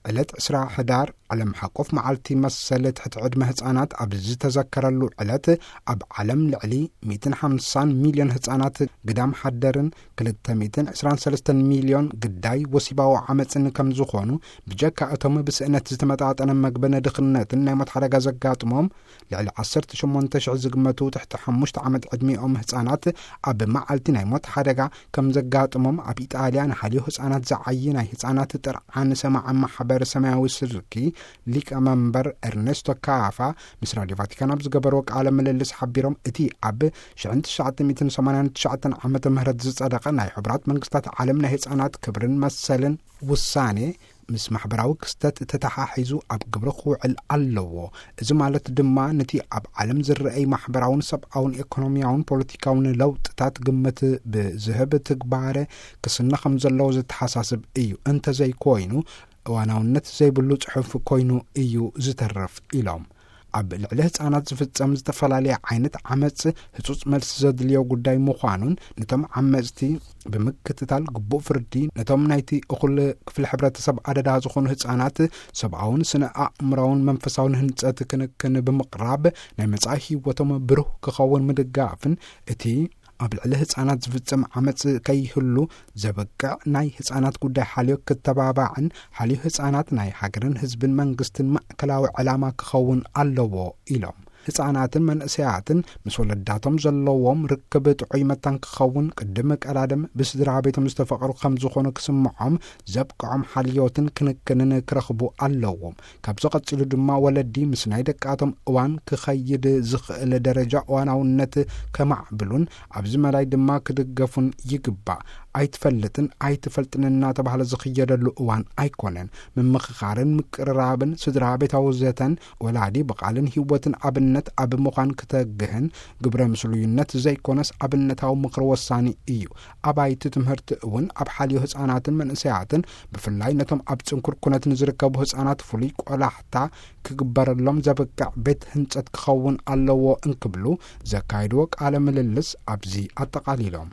ዕለት ዕስራ ሕዳር ዓለም ሓቆፍ መዓልቲ መሰል ትሕቲ ዕድመ ህጻናት ኣብ ዝተዘከረሉ ዕለት፣ ኣብ ዓለም ልዕሊ ሚእትን ሓምሳን ሚልዮን ህጻናት ግዳም ሓደርን ክልተ ሚእትን ዕስራን ሰለስተን ሚልዮን ግዳይ ወሲባዊ ዓመጽን ከም ዝኾኑ፣ ብጀካ እቶም ብስእነት ዝተመጣጠነ መግብን ድኽነትን ናይ ሞት ሓደጋ ዘጋጥሞም ልዕሊ ዓሰርተ ሸሞንተ ሽሕ ዝግመቱ ትሕቲ ሓሙሽተ ዓመት ዕድሚኦም ህጻናት ኣብ መዓልቲ ናይ ሞት ሓደጋ ከም ዘጋጥሞም ኣብ ኢጣልያ ንሓልዮ ህጻናት ዝዓዪ ናይ ህጻናት ጥርዓን ሰማዕ ማሕበር ሰማያዊ ስርኪ ሊቀ መንበር ኤርኔስቶ ካፋ ምስ ራድዮ ቫቲካን ኣብ ዝገበርዎ ቃለ ምልልስ ሓቢሮም፣ እቲ ኣብ ሽሕን ትሽዓተ ሚእትን ሰማንያን ትሽዓተን ዓመተ ምህረት ዝጸደቐ ናይ ሕቡራት መንግስታት ዓለም ናይ ህጻናት ክብርን መሰልን ውሳኔ ምስ ማሕበራዊ ክስተት ተተሓሒዙ ኣብ ግብሪ ክውዕል ኣለዎ። እዚ ማለት ድማ ነቲ ኣብ ዓለም ዝረኣይ ማሕበራውን ሰብኣውን ኤኮኖሚያውን ፖለቲካውን ለውጥታት ግምት ብዝህብ ትግባረ ክስነ ከም ዘለዎ ዘተሓሳስብ እዩ። እንተዘይኮይኑ እዋናውነት ዘይብሉ ጽሑፍ ኮይኑ እዩ ዝተርፍ ኢሎም። ኣብ ልዕሊ ህጻናት ዝፍጸም ዝተፈላለየ ዓይነት ዓመጽ ህጹጽ መልሲ ዘድልዮ ጉዳይ ምዃኑን፣ ነቶም ዓመጽቲ ብምክትታል ግቡእ ፍርዲ፣ ነቶም ናይቲ እኹል ክፍሊ ሕብረተሰብ ኣደዳ ዝኾኑ ህጻናት ሰብኣውን ስነ ኣእምራውን መንፈሳውን ህንጸት ክንክን ብምቕራብ፣ ናይ መጻኢ ህይወቶም ብሩህ ክኸውን ምድጋፍን፣ እቲ ኣብ ልዕሊ ህጻናት ዝፍጸም ዓመጽ ከይህሉ ዘበቅዕ ናይ ህጻናት ጉዳይ ሓልዮ ክተባባዕን፣ ሓልዮ ህጻናት ናይ ሃገርን ህዝብን መንግስትን ማእከላዊ ዕላማ ክኸውን ኣለዎ ኢሎም። ህጻናትን መንእሰያትን ምስ ወለዳቶም ዘለዎም ርክብ ጥዑይ መታን ክኸውን፣ ቅድም ቀዳድም ብስድራ ቤቶም ዝተፈቕሩ ከም ዝኾኑ ክስምዖም ዘብቅዖም ሓልዮትን ክንክንን ክረኽቡ ኣለዎም። ካብዚ ቀጺሉ ድማ ወለዲ ምስ ናይ ደቃቶም እዋን ክኸይድ ዝኽእል ደረጃ እዋናውነት ከማዕብሉን ኣብዚ መዳይ ድማ ክድገፉን ይግባእ። ኣይትፈልጥን ኣይትፈልጥን እናተባህለ ዝኽየደሉ እዋን ኣይኮነን። ምምኽኻርን ምቅርራብን ስድራ ቤታዊ ዘተን፣ ወላዲ ብቓልን ህይወትን ኣብነት ኣብ ምዃን ክተግህን፣ ግብረ ምስሉይነት ዘይኮነስ ኣብነታዊ ምኽሪ ወሳኒ እዩ። ኣባይቲ ትምህርቲ እውን ኣብ ሓልዮ ህጻናትን መንእሰያትን፣ ብፍላይ ነቶም ኣብ ጽንኩር ኩነት ንዝርከቡ ህጻናት፣ ፍሉይ ቆላሕታ ክግበረሎም ዘብቅዕ ቤት ህንጸት ክኸውን ኣለዎ እንክብሉ ዘካየድዎ ቃለ ምልልስ ኣብዚ ኣጠቓሊሎም።